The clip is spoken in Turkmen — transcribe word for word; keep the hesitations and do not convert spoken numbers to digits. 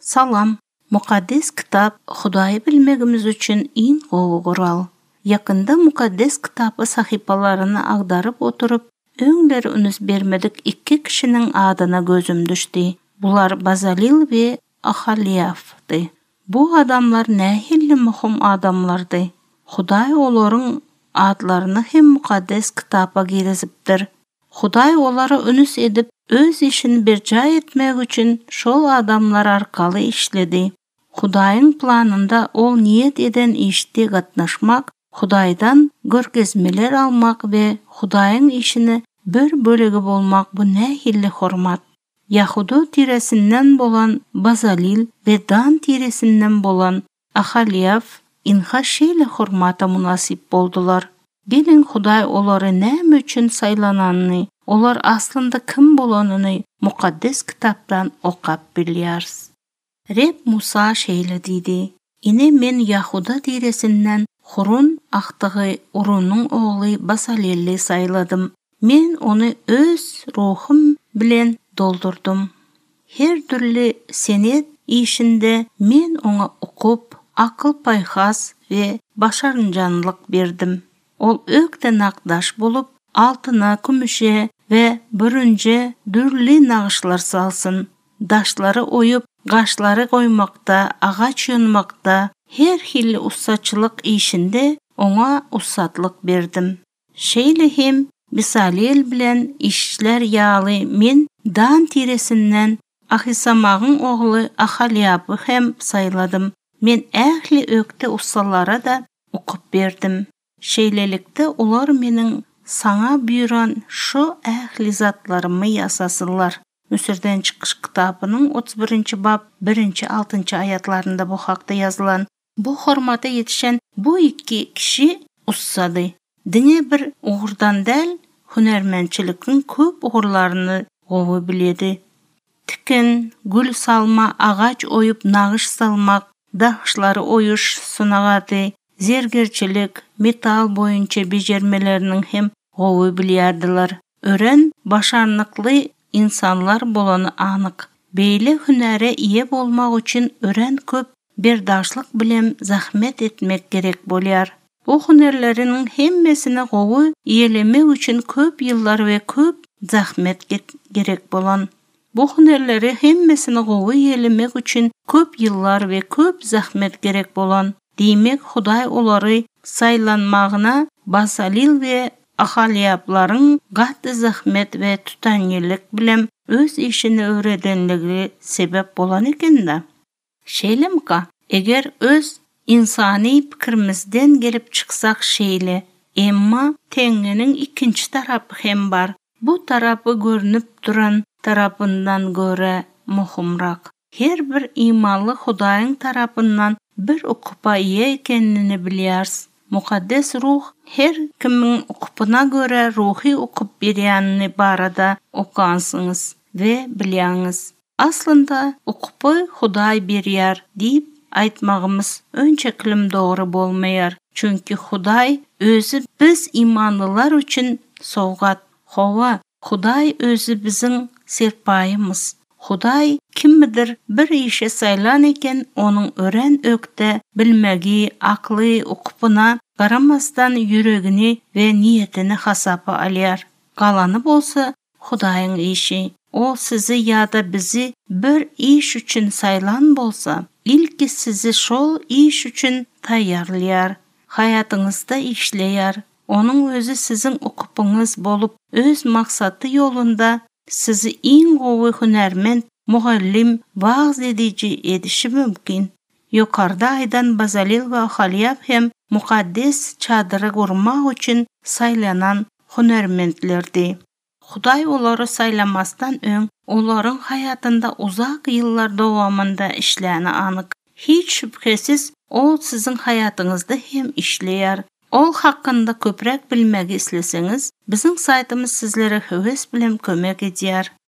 Salam. Mukaddes Kitap Hudaýy bilmegimiz üçin iň gowy gural. Ýakynda Mukaddes Kitapy sahypalaryny agdaryp oturyp, öňler üns bermedik iki kişiniň adyna gözüm düşdi. Bular Bazalil we Ahaliafdy. Bu adamlar nähili möhüm adamlardy. Hudaý olaryň adlaryny hem Mukaddes Kitapa girizipdir. Hudaý olara üns edip, öz işini berjaý etmek üçin şol adamlar arkaly işledi. Hudaýyň planynda ol niýet eden işde gatnaşmak, Hudaýdan görkezmeler almak we Hudaýyň işini bir bölegi bolmak bu nähili hormat. Ýahuda tiresinden bolan Bazalil we Dan tiresinden bolan Ahaliaf ynha şeýle hormata mynasyp boldular. Geliň Hudaý olary näme üçin saýlanyny, olar aslynda kim bolanyny Mukaddes Kitapdan okap bilýäris. Reb Musa şeýle diýdi: Ine men Ýahuda tiresinden Hurun agtygy Urunyň ogly Basaleli saýladym. Men ony öz ruhum bilen doldurdym. Her dürli senet işinde men oňa ukyp, akyl-paýhas we başarjaňlyk berdim. Ol ökde nakgaş bolup, altyna, kümüşe we bürünje dürli nagyşlar salsyn. Daşlary oýup, gaşlary goýmakda, agaç ýonmakda, her hili ussaçylyk işinde oňa ussatlyk berdim. Şeýle hem Bisalel bilen işlär ýaly men Dan tiresinden Ahisamagyň ogly Ahaliapy hem saýladym. Men ähli ökde ussalara-da ukyp berdim. Şeýlelikde olar meniň saňa buýran şu ähli zatlarymy ýasasynlar. Müsürden çykyş kitabynyň otuz birinji bap birinji altynjy aýatlarynda bu hakda ýazylan. Bu hormata ýetişen bu iki kişi ussady. Diňe bir ugurdan däl, hünärmençiligiň köp ugurlaryny gowy bilýärdi. Tikin, gül salma, agaç oýup nagyş salmak, daşlary oýuş sungaty, zergärçilik, metal boýunça bejermeleriniň hem gowy bilýärdiler. Örän başarnykly insanlar bolany anyk. Beýle hünäre eýe bolmak üçin örän köp berdaşlyk bilen zähmet etmek gerek bolýar. Bu hünärleriniň hemmesini gowy eýelemek üçin köp ýyllar we köp zähmet gerek bolan. Bu hünärleri hemmesini gowy eýelemek üçin köp ýyllar we köp zähmet gerek bolan. Diýmek, Hudaý olary saýlanmagyna Basalil we Ahaliaplaryň gaty zähmet we tutanýerlilik bilen öz işini öwredenligi sebäp bolan eken-dä. Şeýlemika, eger öz ynsany pikirimizden gelip çyksak şeýle, emma teňňäniň ikinji tarapy hem bar. Bu tarapy görnüp duran tarapyndan görä möhümräk. Her bir imanly Hudaýyň tarapyndan bir ukypa eýe ekenini bilýäris. Mukaddes Ruh her kimiň ukypyna görä ruhy ukyp berýänini barada okansyňyz we bilýäňiz. Aslynda ukypy Hudaý berýär diýip aýtmagymyz önçeklim dogry bolmaýar. Çünki Hudaý özi biz imanlylar üçin sowgat. Hawa, Hudaý özi biziň serpaýymyz. Hudaý kimidir bir işe saýlan eken, onuň örän ökde bilmegi, akly, ukypyna garamazdan ýüregini we niýetini hasaba alýar. Galany bolsa Hudaýyň işi. Ol sizi ýa-da bizi bir iş üçin saýlan bolsa, ilki sizi şol iş üçin taýýarlaýar. Haýatyňyzda işleýär. Onuň özi siziň ukypyňyz bolup, öz maksady ýolunda sizi iň gowy hünärment, mugallym, wagyz ediji edişi mümkin. Ýokarda aýdan Bazalil we Ahaliap hem mukaddes çadyry gurmak üçin saýlanan hünärmentlerdi. Hudaý olary saýlamasdan öň olaryň haýatynda uzak ýyllar dowamynda işläni anyk. Hiç şübhesiz ol siziň haýatyňyzda hem işleýär. Ol hakynda köpräk bilmegi isleseňiz, biziň saýtymyz sizlere höwes bilen kömek edýär.